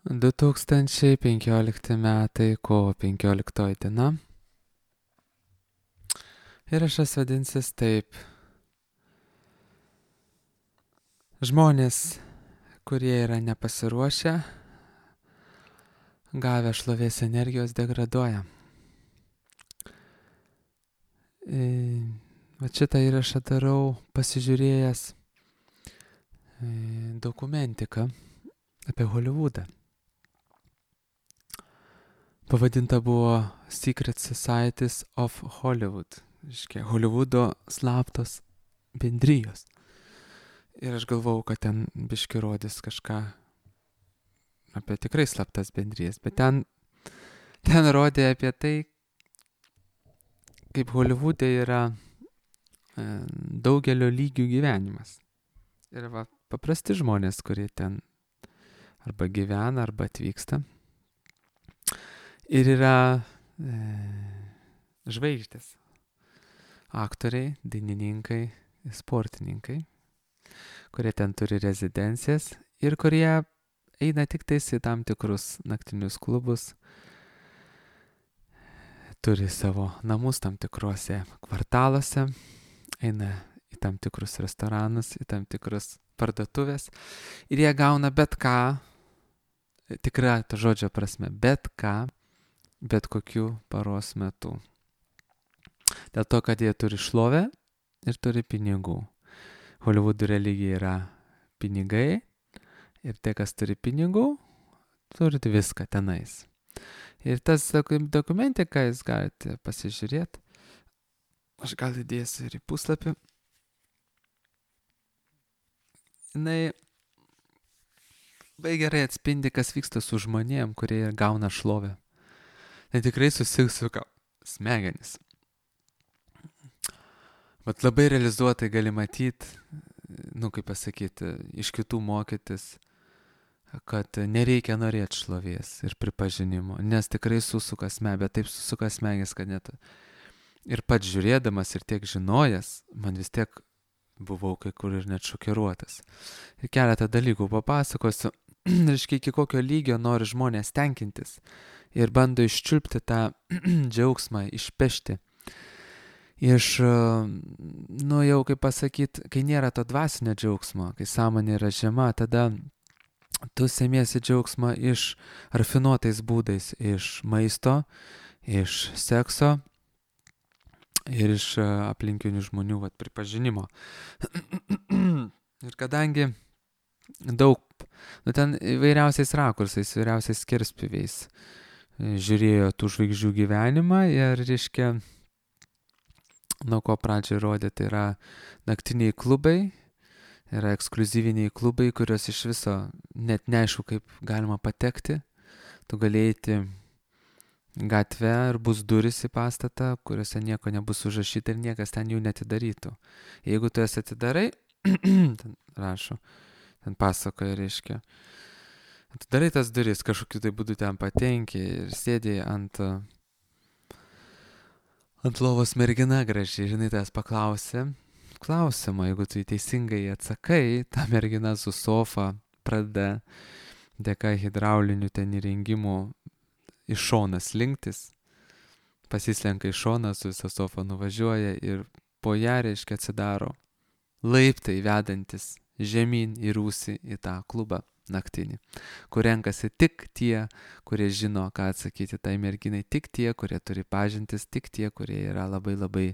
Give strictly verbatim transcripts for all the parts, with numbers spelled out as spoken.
du tūkstančiai penkiolikti metai, kovo penkioliktoji diena. Įrašas vadinsis taip. Žmonės, kurie yra nepasiruošę, gavę šlovės energijos, degraduoja. E, va šitą įrašą darau pasižiūrėjęs e, dokumentiką apie Hollywoodą. Pavadinta buvo Secret Societies of Hollywood. Iškia, Hollywoodo slaptos bendrijos. Ir aš galvau, kad ten biški rodys kažką apie tikrai slaptas bendrijas. Bet ten, ten rodė apie tai, kaip Hollywoode yra e, daugelio lygių gyvenimas. Ir va, paprasti žmonės, kurie ten arba gyvena, arba atvyksta. Ir yra e, žvaigždės. Aktoriai, dainininkai, sportininkai, kurie ten turi rezidencijas ir kurie eina tik tais į tam tikrus naktinius klubus, turi savo namus tam tikruose kvartaluose, eina į tam tikrus restoranus, į tam tikrus parduotuvės ir jie gauna bet ką, tikra to žodžio prasme, bet ką, bet kokiu paros metu. Dėl to, kad jie turi šlovę ir turi pinigų. Hollywoodo religija yra pinigai ir tie, kas turi pinigų, turi viską tenais. Ir tas dokumentika jūs galite pasižiūrėti. Aš gal įdėsiu ir į puslapį. Jinai labai gerai atspindi, kas vyksta su žmonėm, kurie gauna šlovę. Tai tikrai susisuka smegenis. Bet labai realizuotai gali matyti, nu kaip pasakyti, iš kitų mokytis, kad nereikia norėti šlovės ir pripažinimo, nes tikrai susuka smegenis, bet taip susuka smegenis, kad net ir pats žiūrėdamas ir tiek žinojęs, man vis tiek buvau kai kur ir net šokiruotas. Ir keletą dalykų papasakosiu, reiškia, iki kokio lygio nori žmonės tenkintis ir bando iščiulpti tą džiaugsmą, išpešti. Iš, nu jau kaip pasakyti, kai nėra to dvasinio džiaugsmo, kai sąmonė yra žema, tada tu semiesi džiaugsmą iš rafinuotais būdais, iš maisto, iš sekso ir iš aplinkinių žmonių vat, pripažinimo. Ir kadangi daug, nu ten įvairiausiais rakursais, įvairiausiais skerspjūviais žiūrėjo tų žvaigždžių gyvenimą ir, reiškia, nuo ko pradžiai rodė, tai yra naktiniai klubai, yra ekskliuzyviniai klubai, kurios iš viso net neaišku, kaip galima patekti. Tu galėjai gatvę ir bus duris į pastatą, kuriuose nieko nebus užrašyta ir niekas ten jų netidarytų. Jeigu tu jas atidarai, ten rašo, ten pasakoja, reiškia, atidarai tas duris, kažkokiu tai būdu ten patenki ir sėdėjai ant... Ant lovos mergina gražiai, žinai, tas paklausė klausimą, jeigu tu teisingai atsakai, ta mergina su sofa pradeda dėka hidraulinių ten įrengimų iš šoną slinktis, pasislenka iš šoną, su visą sofą nuvažiuoja ir po ją, reiškia, atsidaro laiptai vedantis žemyn į rūsį į tą klubą naktinį, kur renkasi tik tie, kurie žino, ką atsakyti tai merginai, tik tie, kurie turi pažintis, tik tie, kurie yra labai labai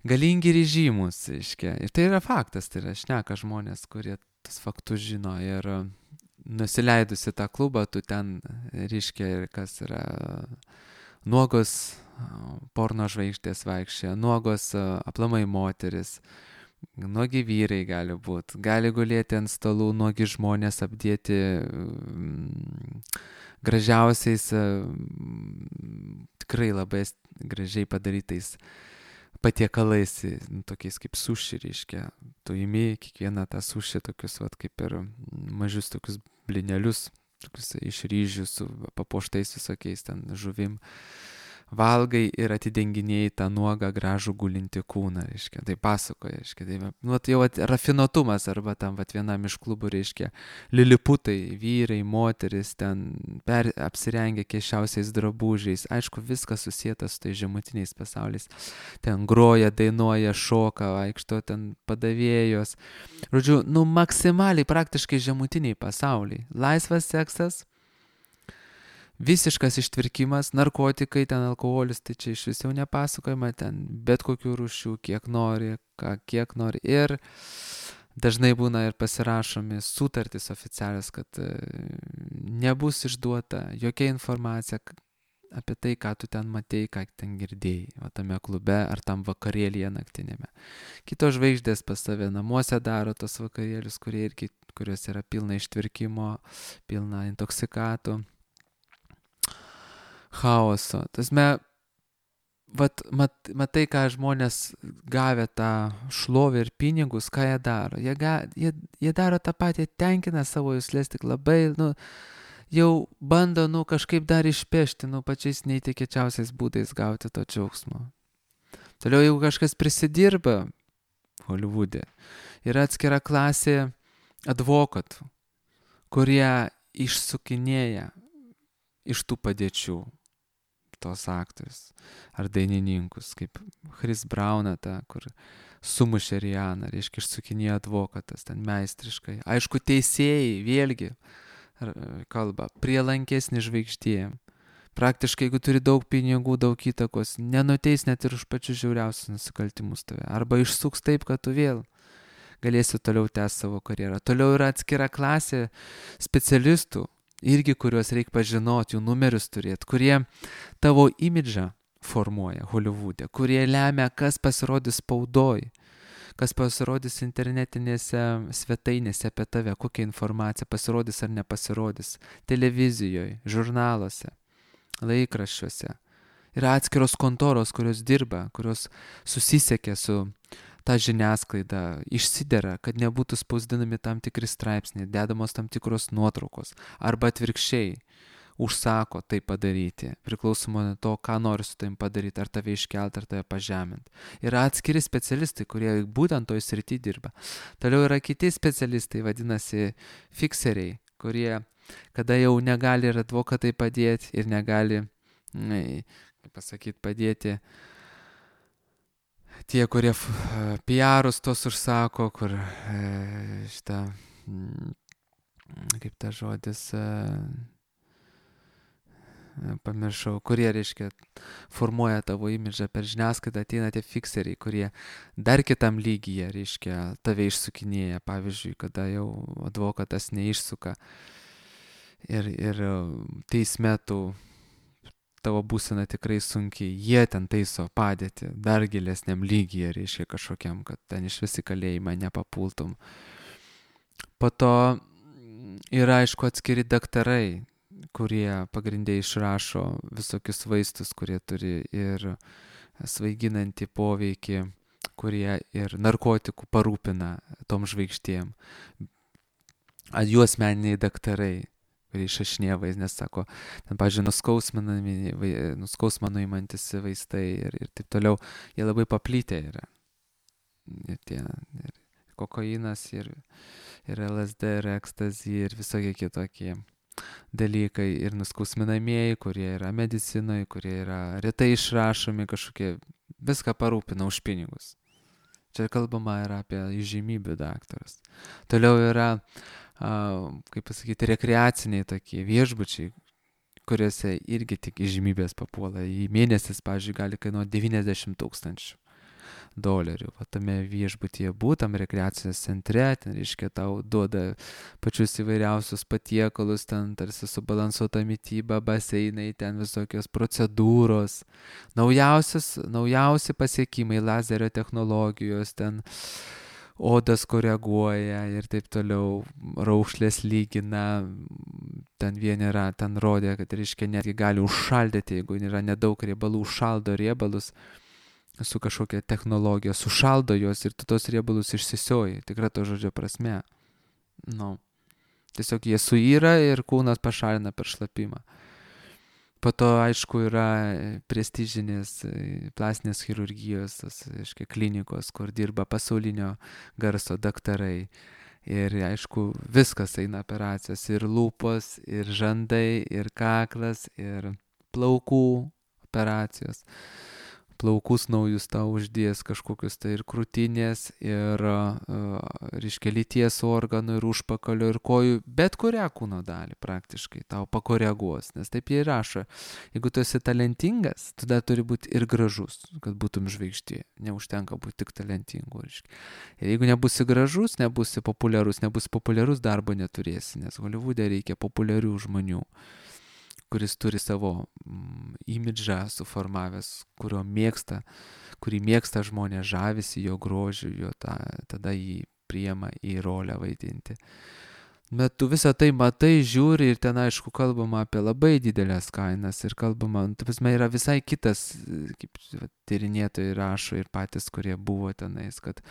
galingi ir žymus, reiškia. Ir tai yra faktas, tai yra šneka žmonės, kurie tas faktus žino ir nusileidusi tą klubą, tu ten, reiškia, ir kas yra nuogos porno žvaigždės vaikščia, nuogos aplamai moteris, nuogi vyrai gali būti, gali gulėti ant stalų, nuogi žmonės apdėti mm, gražiausiais, mm, tikrai labai gražiai padarytais patiekalais, nu, tokiais kaip suši, reiškia. Tu imi kiekvieną tą suši, tokius, vat, kaip ir mažius tokius blinelius, tokius iš ryžių su papuoštais visokiais ten žuvim. valgai ir atidenginėjai tą nuogą gražų gulinti kūną, reiškia, tai pasakoja, reiškia, tai, nu, tai jau at, rafinuotumas, arba tam vat, vienam iš klubų, reiškia, liliputai, vyrai, moteris, ten per, apsirengę keiščiausiais drabužiais, aišku, viskas susijęta su tai žemutiniais pasauliais, ten groja, dainuoja, šoka, vaikšto, ten padavėjos, žodžiu, nu, maksimaliai praktiškai žemutiniai pasauliai, laisvas seksas, visiškas ištvirkimas, narkotikai, ten alkoholis, tai čia iš vis jau nepasakojama, ten bet kokių rūšių, kiek nori, ką, kiek nori. Ir dažnai būna ir pasirašomi sutartys oficialios, kad nebus išduota jokia informacija apie tai, ką tu ten matei, ką ten girdėjai, o tame klube ar tam vakarėlyje naktinėme. Kitos žvaigždės pas save namuose daro tos vakarėlius, kurie irgi, kurios yra pilna ištvirkimo, pilna intoksikatų. Chaoso. Tasme, vat, mat, matai, ką žmonės gavę tą šlovę ir pinigus, ką jie daro. Jie, ga, jie, jie daro tą patį, tenkina savo juslės, tik labai, nu, jau bando, nu, kažkaip dar išpešti, nu, pačiais neįtikėčiausiais būdais gauti to džiaugsmo. Toliau, jeigu kažkas prisidirba Holivude, yra atskira klasė advokatų, kurie išsukinėja iš tų padėčių tos aktorius ar dainininkus, kaip Chris Browną, ta, kur sumušė Rianą, reiškia, išsukinėjo advokatas, ten meistriškai. Aišku, teisėjai, vėlgi, kalba, prielankesni žvaigždėjim. Praktiškai, jeigu turi daug pinigų, daug įtakos, nenuteis net ir už pačius žiauriausius nusikaltimus tave. Arba išsuks taip, kad tu vėl galėsi toliau tęsti savo karjerą. Toliau yra atskira klasė specialistų, irgi kuriuos reikia pažinoti, jų numerius turėti, kurie tavo imidžą formuoja Holivude, kurie lemia, kas pasirodys spaudoj, kas pasirodys internetinėse svetainėse apie tave, kokia informacija pasirodys ar nepasirodys, televizijoje, žurnaluose, laikraščiuose. Yra atskiros kontoros, kurios dirba, kurios susisiekia su ta žiniasklaida, išsidera, kad nebūtų spausdinami tam tikri straipsniai, dedamos tam tikros nuotraukos, arba atvirkščiai užsako tai padaryti, priklausomai nuo to, ką nori su tavim padaryti, ar tave iškelti, ar tave pažeminti. Yra atskiri specialistai, kurie būtent toj srity dirba. Toliau yra kiti specialistai, vadinasi fikseriai, kurie, kada jau negali ir advokatai padėti, ir negali, kaip pasakyti, padėti tie, kurie P R-us tos užsako, kur e, šitą, kaip ta žodis, e, pamiršau, kurie, reiškia, formuoja tavo imidžą per žiniasklaidą, ateina tie fikseriai, kurie dar kitam lygyje, reiškia, tave išsukinėja, pavyzdžiui, kada jau advokatas neišsuka ir, ir teisme tu tavo būsena tikrai sunkiai, jie ten taiso padėti dar gilesniam lygyje, reiškia kažkokiam, kad ten iš visi kalėjimą nepapultum. Po to yra, aišku, atskiri daktarai, kurie pagrindė išrašo visokius vaistus, kurie turi ir svaiginantį poveikį, kurie ir narkotikų parūpina tom žvaigždėm. Jų asmeniniai daktarai, kurie išrašinėja vaistus, nes sako, ten, pavyzdžiui, nuskausmą nuimantis vaistai ir, ir taip toliau, jie labai paplitę yra. Ir tie, ir kokainas, ir, ir L S D, ir ekstazi, ir visokie kitokie dalykai, ir nuskausminamieji, kurie yra medicinoje, kurie yra retai išrašomi, kažkokie, viską parūpina už pinigus. Čia kalbama yra apie įžymybių daktarus. Toliau yra Uh, kaip pasakyti, rekreaciniai tokie viešbučiai, kuriuose irgi tik įžymybės papuola. Į mėnesis, pavyzdžiui, gali kainuoti devyniasdešimt tūkstančių dolerių. O tame viešbutyje būtam rekreacijos centre, ten, reiškia, tau duoda pačius įvairiausius patiekalus, ten tarsi subalansuota mityba, baseinai, ten visokios procedūros, naujausios, naujausi pasiekimai, lazerio technologijos, ten odas koreguoja ir taip toliau, raukšlės lygina, ten vieni yra, ten rodė, kad, reiškia, netgi gali užšaldyti, jeigu yra nedaug riebalų, užšaldo riebalus su kažkokia technologija, sušaldo juos ir tu tos riebalus išsisioji, tikra to žodžio prasme. Nu, tiesiog jie suyra ir kūnas pašalina per šlapimą. Po to, aišku, yra prestižinės plastinės chirurgijos, tos, aiškiai, klinikos, kur dirba pasaulinio garso daktarai. Ir, aišku, viskas eina operacijos. Ir lūpos, ir žandai, ir kaklas, ir plaukų operacijos. Plaukus naujus tau uždės kažkokius tai ir krūtinės, ir, uh, reiškia, lyties organų, ir užpakalio, ir kojų, bet kurią kūno dalį praktiškai tau pakoreguos, nes taip jie rašo. Jeigu tu esi talentingas, tada turi būti ir gražus, kad būtum žvaigždė. Neužtenka būti tik talentingu. Reiškia. Ir jeigu nebusi gražus, nebusi populiarus, nebusi populiarus, darbo neturėsi, nes Holivude reikia populiarių žmonių, kuris turi savo mm, imidžą suformavęs, kurio mėgsta, kurį mėgsta žmonės, žavisi jo grožiu, jo ta, tada jį priima į rolę vaidinti. Bet tu visą tai matai, žiūri ir ten, aišku, kalbama apie labai didelės kainas ir kalbama, tu prasme, yra visai kitas, kaip tyrinėtojai rašo ir patys, kurie buvo tenais, kad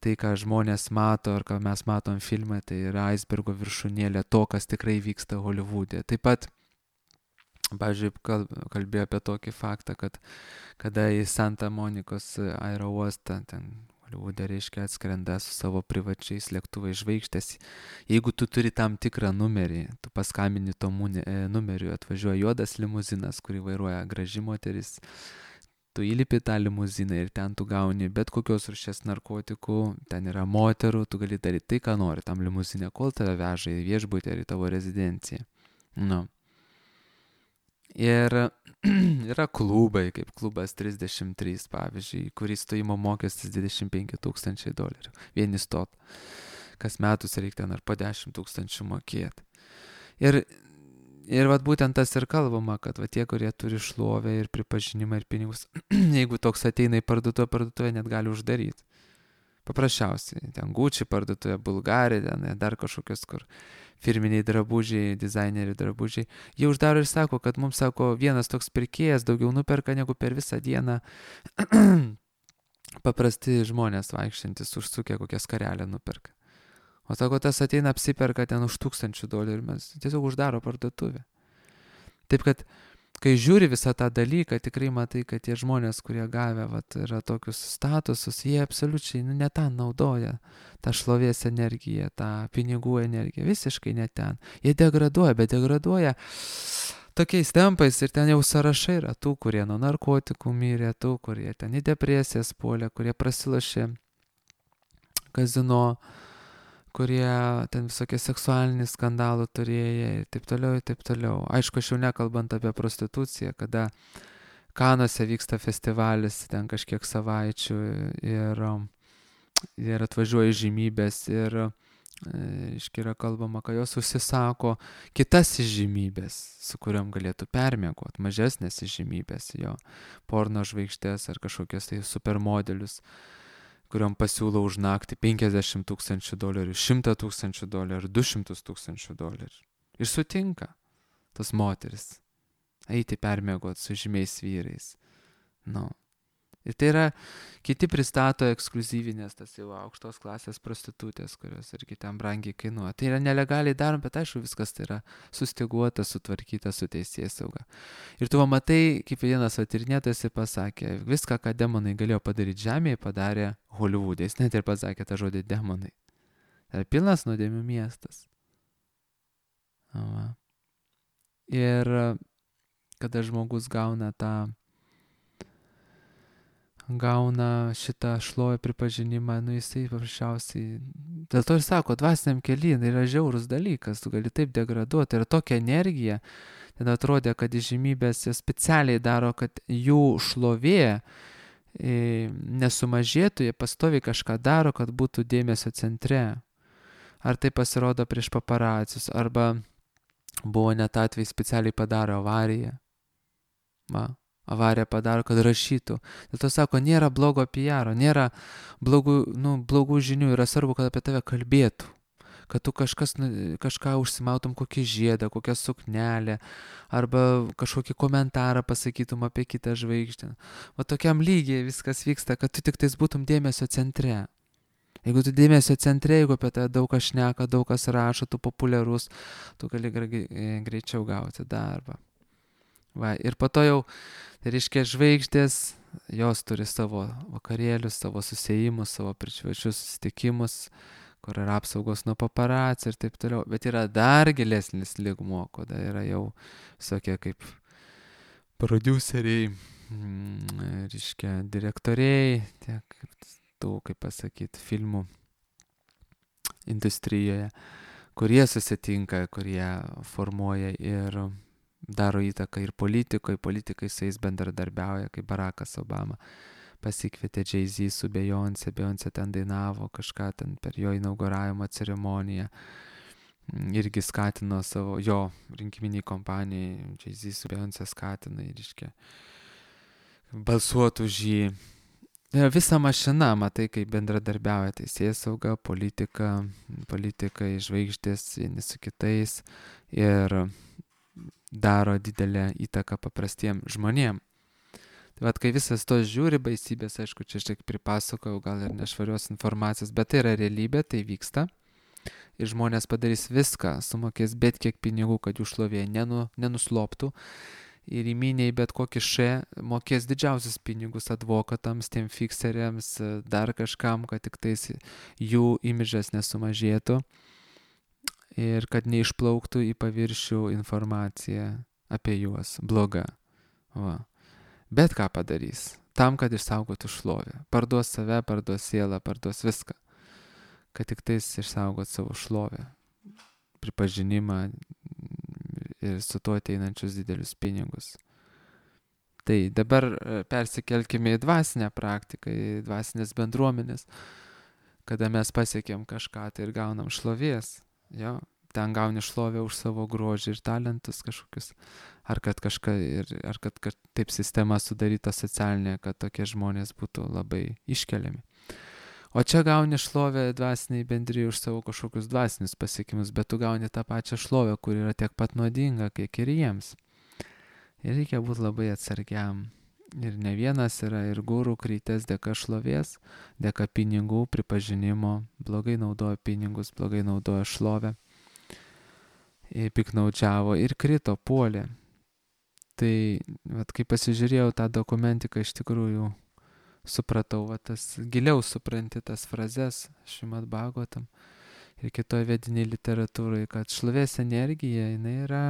tai, ką žmonės mato ar ką mes matom filme, tai yra aisbergo viršūnėlė to, kas tikrai vyksta Holivude. Taip pat pavyzdžiui, kalbėjo apie tokį faktą, kad kada į Santa Monikos aerouostą, ten Holivude, reiškia, atskrenda su savo privačiais lėktuvais žvaigždės, jeigu tu turi tam tikrą numerį, tu paskambini to numeriu, atvažiuoja juodas limuzinas, kurį vairuoja graži moteris, tu įlipi tą limuziną ir ten tu gauni bet kokios rūšies narkotikų, ten yra moterų, tu gali daryti tai, ką nori tam limuzinė, kol tave veža į viešbutį ar į tavo rezidenciją. Nu. Ir yra klubai, kaip klubas trisdešimt trys, pavyzdžiui, kurį stojimo mokestis dvidešimt penki tūkstančiai dolerių. Vieni stot. Kas metus reikia ten ar po dešimt tūkstančių mokėti. Ir, ir vat būtent tas ir kalbama, kad va tie, kurie turi šlovę ir pripažinimą ir pinigus, jeigu toks ateina į parduotuvę, parduotuvę net gali uždaryti. Paprasčiausiai. Ten Gucci parduotuvė, Bulgari, ten dar kažkokios, kur firminiai drabužiai, dizaineriai drabužiai. Jie uždaro ir sako, kad mums, sako, vienas toks pirkėjas daugiau nuperka negu per visą dieną paprasti žmonės vaikščiantis užsukę kokią skarelę nuperka. O sako, tas ateina apsiperka ten už tūkstančių dolerių, mes tiesiog uždaro parduotuvę. Taip kad, kai žiūri visą tą dalyką, tikrai matai, kad tie žmonės, kurie gavę vat, yra tokius statusus, jie absoliučiai nu, ne tą naudoja, tą šlovės energiją, tą pinigų energiją, visiškai ne ten. Jie degraduoja, bet degraduoja tokiais tempais ir ten jau sąrašai yra tų, kurie nuo narkotikų mirė, tų, kurie ten į depresijas puolė, kurie prasilošė kazino, kurie ten visokie seksualiniai skandalų turėjo ir taip toliau, ir taip toliau. Aišku, aš jau nekalbant apie prostituciją, kada Kanuose vyksta festivalis ten kažkiek savaičių ir, ir atvažiuoja žymybės ir iški yra kalbama, kad jos užsisako kitas žymybės, su kuriuom galėtų permiegoti, mažesnės žymybės, jo porno žvaigždės ar kažkokios tai supermodelius, kuriuom pasiūlo už naktį penkiasdešimt tūkstančių dolerių, šimtą tūkstančių dolerių, du šimtus tūkstančių dolerių. Ir sutinka tas moteris eiti permiegoti su žymiais vyrais. Nu. Ir tai yra, kiti pristato ekskluzyvinės, tas jau aukštos klasės prostitutės, kurios irgi ten brangiai kainuoja. Tai yra nelegaliai darom, bet aišku, viskas tai yra sustiguota, sutvarkyta su teisėsauga. Ir tu matai, kaip vienas tyrinėtojas pasakė, viską, ką demonai galėjo padaryti žemėje, padarė Holivude. Jis net ir pasakė tą žodį demonai. Tai yra pilnas nuodėmių miestas. Va. Ir kada žmogus gauna tą gauna šitą šlovę pripažinimą, nu jisai paprasčiausiai, dėl to ir sako, dvasiniam kely yra žiaurus dalykas, tu gali taip degraduoti, ir tokia energija, ten atrodė, kad įžymybės specialiai daro, kad jų šlovė e, nesumažėtų, jie pastoviai kažką daro, kad būtų dėmesio centre. Ar tai pasirodo prieš paparacius, arba buvo net atvejai specialiai padaro avariją. Va. Avariją padaro, kad rašytų. Dėl to sako, nėra blogo P R, nėra blogų, nu, blogų žinių, yra svarbu, kad apie tave kalbėtų. Kad tu kažkas, kažką užsimautum, kokį žiedą, kokią suknelę, arba kažkokį komentarą pasakytum apie kitą žvaigždę. O tokiam lygiai viskas vyksta, kad tu tik tais būtum dėmesio centre. Jeigu tu dėmesio centre, jeigu apie tave daug kas šneka, daug kas rašo, tu populiarus, tu gali greičiau gauti darbą. Va, ir po to jau, tai reiškia, žvaigždės, jos turi savo vakarėlius, savo susėjimus, savo privačius susitikimus, kur yra apsaugos nuo paparacių ir taip toliau. Bet yra dar gilesnis lygmuo, kada yra jau visokie kaip prodiuseriai, mm, reiškia, direktoriai, tiek tų, kaip pasakyti, filmų industrijoje, kurie susitinka, kurie formuoja ir daro įtaką ir politikai, politikai su jais bendradarbiauja, kaip Barackas Obama pasikvietė Jay-Z su Beyoncé, Beyoncé ten dainavo kažką ten per jo inauguravimo ceremoniją, irgi skatino savo, jo rinkiminiai kompanijai, Jay-Z su Beyoncé skatina ir iškia balsuotų už jį. Visa mašina, matai, kaip bendradarbiauja teisėsauga, politika, politikai, žvaigždės vieni su kitais ir daro didelę įtaką paprastiem žmonėm. Tai vat, kai visas tos žiūri baisybės, aišku, čia šiek tiek pripasakojau, gal ir nešvarios informacijos, bet tai yra realybė, tai vyksta. Ir žmonės padarys viską, sumokės bet kiek pinigų, kad jų šlovė nenu, nenusloptų. Ir įminiai bet kokį še mokės didžiausius pinigus advokatams, tiem fikseriams, dar kažkam, kad tik tais jų imidžas nesumažėtų ir kad neišplauktų į paviršių informacija apie juos bloga. Va. Bet ką padarys? Tam, kad išsaugotų šlovę. Parduos save, parduos sielą, parduos viską. Kad tik tais išsaugot savo šlovę, pripažinimą ir su tuo ateinančius didelius pinigus. Tai dabar persikelkime į dvasinę praktiką, į dvasinės bendruomenės, kada mes pasiekėm kažką tai ir gaunam šlovės. Jo, ten gauni šlovę už savo grožį ir talentus kažkokius, ar kad kažką, ir, ar kad, kad taip sistema sudaryta socialinė, kad tokie žmonės būtų labai iškeliami. O čia gauni šlovę dvasiniai bendrijai už savo kažkokius dvasinius pasiekimus, bet tu gauni tą pačią šlovę, kur yra tiek pat nuodinga, kiek ir jiems. Ir reikia būti labai atsargiam. Ir ne vienas yra ir gurų krytės dėka šlovės, dėka pinigų, pripažinimo, blogai naudojo pinigus, blogai naudojo šlovę, piknaudžiavo ir krito, puolė. Tai, vat, kai pasižiūrėjau tą dokumentiką, iš tikrųjų supratau, va, tas, giliau supranti tas frazes Šrimad Bhagavatam ir kitoje vediniai literatūrai, kad šlovės energija, jinai yra,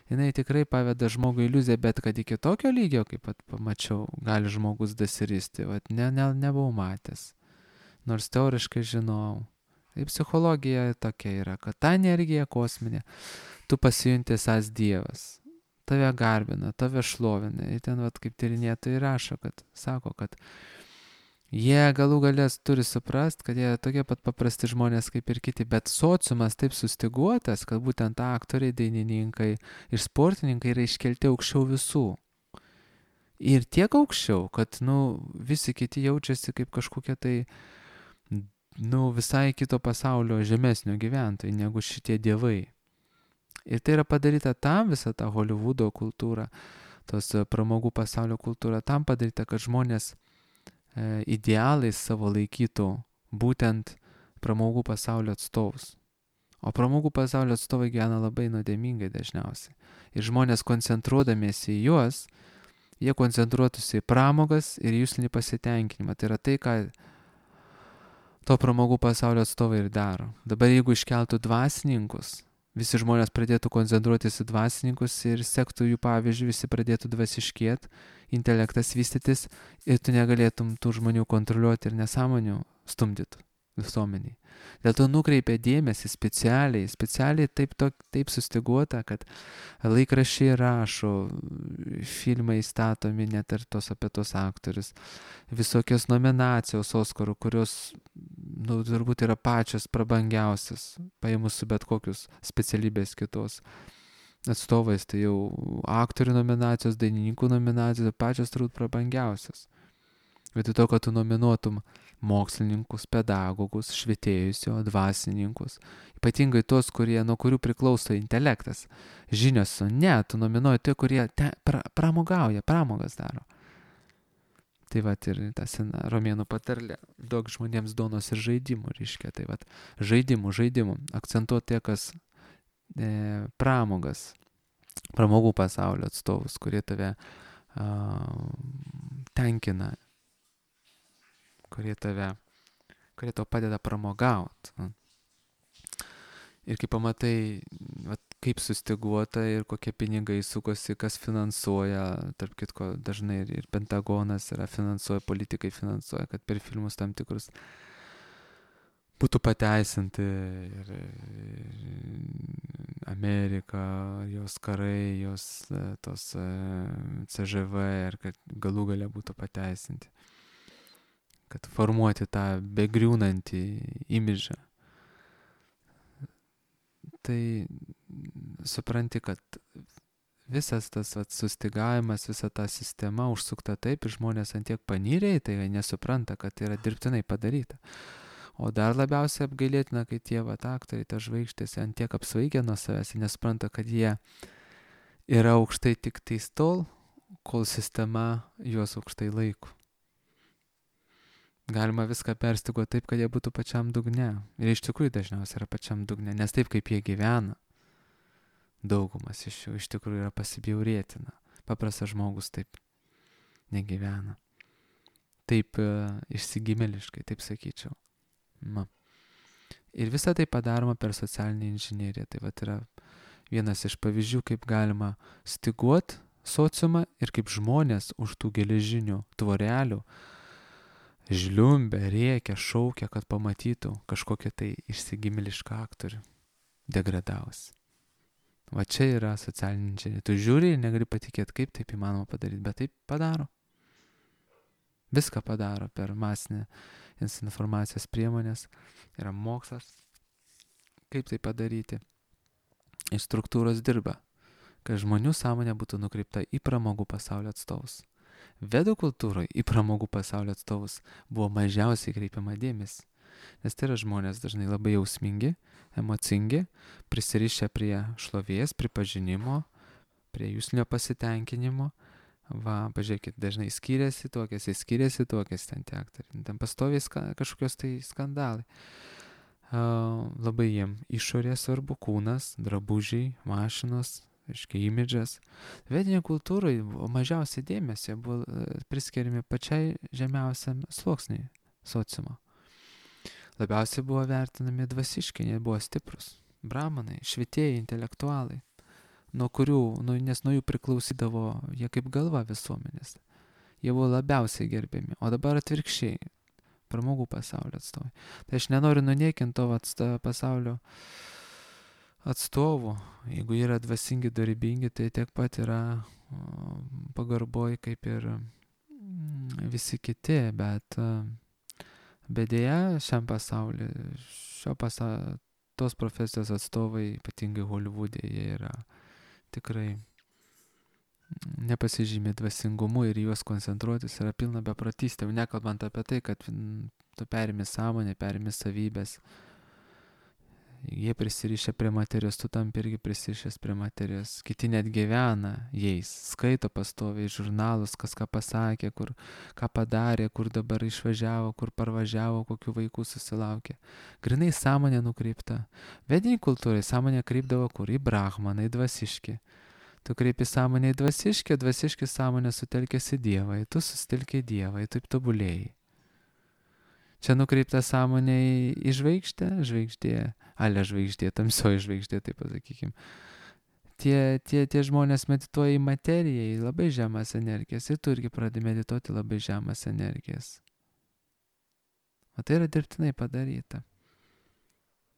jinai tikrai paveda žmogui iliuziją, bet kad iki tokio lygio, kaip pat pamačiau, gali žmogus dasiristi, va, ne, ne, nebuvau matęs, nors teoriškai žinau. Tai psichologija tokia yra, kad ta energija kosminė, tu pasijunti esąs Dievas. Tave garbina, tave šlovina. Ir ten, vat, kaip tyrinėtojai rašo, kad sako, kad jie galų galės turi suprast, kad jie tokie pat paprasti žmonės kaip ir kiti, bet sociumas taip sustiguotas, kad būtent aktoriai, dainininkai ir sportininkai yra iškelti aukščiau visų. Ir tiek aukščiau, kad, nu, visi kiti jaučiasi kaip kažkokie tai, nu, visai kito pasaulio žemesnio gyventojai negu šitie dievai. Ir tai yra padaryta tam, visa ta Hollywoodo kultūra, tos pramogų pasaulio kultūra, tam padaryta, kad žmonės e, idealais savo laikytų būtent pramogų pasaulio atstovus. O pramogų pasaulio atstovai gyvena labai nuodėmingai dažniausiai. Ir žmonės koncentruodamiesi į juos, jie koncentruotųsi į pramogas ir jūslinį pasitenkinimą. Tai yra tai, ką to pramogų pasaulio atstovai ir daro. Dabar jeigu iškeltų dvasininkus, visi žmonės pradėtų koncentruotis į dvasininkus ir sektų jų pavyzdžių, visi pradėtų dvasiškėt, intelektas vystytis ir tu negalėtum tų žmonių kontroliuoti ir nesąmonių stumdytų visuomeniai. Dėl to nukreipia dėmesį specialiai, specialiai taip, to, taip sustiguota, kad laikraščiai rašo, filmai statomi net ir tos apie tos aktorius, visokios nominacijos Oskarų, kurios, nu, turbūt yra pačios prabangiausias, paėmus su bet kokius specialybės kitos atstovais, tai jau aktorių nominacijos, dainininkų nominacijos, pačios turbūt prabangiausias. Vietoj to, kad tu nominuotum mokslininkus, pedagogus, švietėjus, jo, dvasininkus, ypatingai tos, kurie, nuo kurių priklauso intelektas, žinios, ne, tu nominuoji tie, kurie te, pra, pramogauja, pramogas daro. Tai vat ir ta sena romėnų patarlė, duok žmonėms duonos ir žaidimų, reiškia, tai vat žaidimų, žaidimų, akcentuoti tie, kas e, pramogas, pramogų pasaulio atstovus, kurie tave uh, tenkina, kurie tave, kurie tau padeda pramogauti. Ir kai pamatai, vat, kaip sustyguota ir kokie pinigai sukosi, kas finansuoja, tarp kitko dažnai ir, ir Pentagonas yra finansuoja, politikai finansuoja, kad per filmus tam tikrus būtų pateisinti ir, ir Amerika, jos karai, jos tos C Ž V ir kad galų gale būtų pateisinti. Kad formuoti tą begriūnantį imidžą. Tai supranti, kad visas tas vat, sustygavimas, visa ta sistema užsukta taip ir žmonės ant tiek panyrė, tai nesupranta, kad tai yra dirbtinai padaryta. O dar labiausiai apgailėtina, kai tie vat, aktoriai, ta žvaigždės ant tiek apsvaigę nuo savęs ir nespranta, kad jie yra aukštai tik tais tol, kol sistema juos aukštai laiko. Galima viską perstyguoti taip, kad jie būtų pačiam dugne. Ir iš tikrųjų dažniausiai yra pačiam dugne, nes taip kaip jie gyvena, daugumas iš jų iš tikrųjų yra pasibjaurėtina. Paprastas žmogus taip negyvena. Taip e, išsigimeliškai, taip sakyčiau. Na. Ir visa tai padaroma per socialinį inžineriją. Tai vat yra vienas iš pavyzdžių, kaip galima styguoti sociumą ir kaip žmonės už tų geležinių tvorelių žliumbia, rėkia, šaukia, kad pamatytų kažkokią tai išsigimelišką aktorių degradavus. Va čia yra socialinė inžinerija. Tu žiūri ir negali patikėti, kaip taip įmanoma padaryti, bet taip padaro. Viską padaro per masinę informacijos priemonės. Yra mokslas, kaip tai padaryti. Ir struktūros dirba, kad žmonių sąmonė būtų nukreipta į pramogų pasaulio atstovus. Vedų kultūroje į pramogų pasaulio atstovus buvo mažiausiai kreipiama dėmesį. Nes tai yra žmonės dažnai labai jausmingi, emocingi, prisirišę prie šlovės, pripažinimo, prie jūslinio pasitenkinimo. Va, pažiūrėkit, dažnai skiriasi, tokiasi, skiriasi, tokiasi ten tie aktoriai. Ten pastoviai ska, kažkokios tai skandalai. Uh, labai jiem išorė svarbu, kūnas, drabužiai, mašinos, aiškiai, imidžas. Vedinė kultūrai mažiausiai dėmesio buvo priskiriami pačiai žemiausiam sluoksniui sociumo. Labiausiai buvo vertinami dvasiškai, jie buvo stiprus. Brahmanai, švietėjai, intelektualai, nuo kurių, nu, nes nuo jų priklausydavo jie kaip galva visuomenės. Jie buvo labiausiai gerbiami. O dabar atvirkščiai, pramogų pasaulio atstovai. Tai aš nenoriu nuniekinti to atsto, pasaulio atstovų. Jeigu yra dvasingi, dorybingi, tai tiek pat yra pagarboj kaip ir visi kiti, bet bet dėja šiam pasauliu, šio pasaulio, tos profesijos atstovai, ypatingai Holivude, jie yra tikrai nepasižymė dvasingumu ir juos koncentruotis yra pilna beprotystė. Nekalbant apie tai, kad tu perimi sąmonę, perimi savybės. Jie prisirišę prie materijos, tu tam irgi prisirišęs prie materijos. Kiti net gyvena jais, skaito pastoviai žurnalus, kas ką pasakė, kur ką padarė, kur dabar išvažiavo, kur parvažiavo, kokių vaikų susilaukė. Grinai sąmonė nukreipta. Vedinį kultūrai sąmonė kreipdavo kur? Į brahmaną, į dvasiškį. Tu kreipi sąmonę į dvasiškį, dvasiškį sąmonę sutelkėsi Dievą, tu susitelkė Dievą, taip tobulėjai. Čia nukreipta sąmonė į žvaigždę, žvaigždė, ale žvaigždė, tamsioji žvaigždė, taip pasakykim. Tie, tie, tie žmonės medituoja į materiją, į labai žemas energijas, ir tu irgi pradedi medituoti labai žemas energijas. O tai yra dirbtinai padaryta.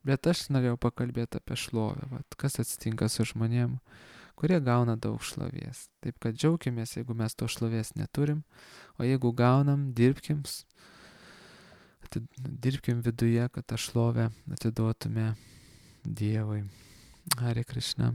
Bet aš norėjau pakalbėti apie šlovę, vat, kas atsitinka su žmonėm, kurie gauna daug šlovės. Taip kad džiaukimės, jeigu mes to šlovės neturim, o jeigu gaunam, dirbkim, dirbkim viduje, kad tą šlovę atiduotume Dievui. Hare Krishna.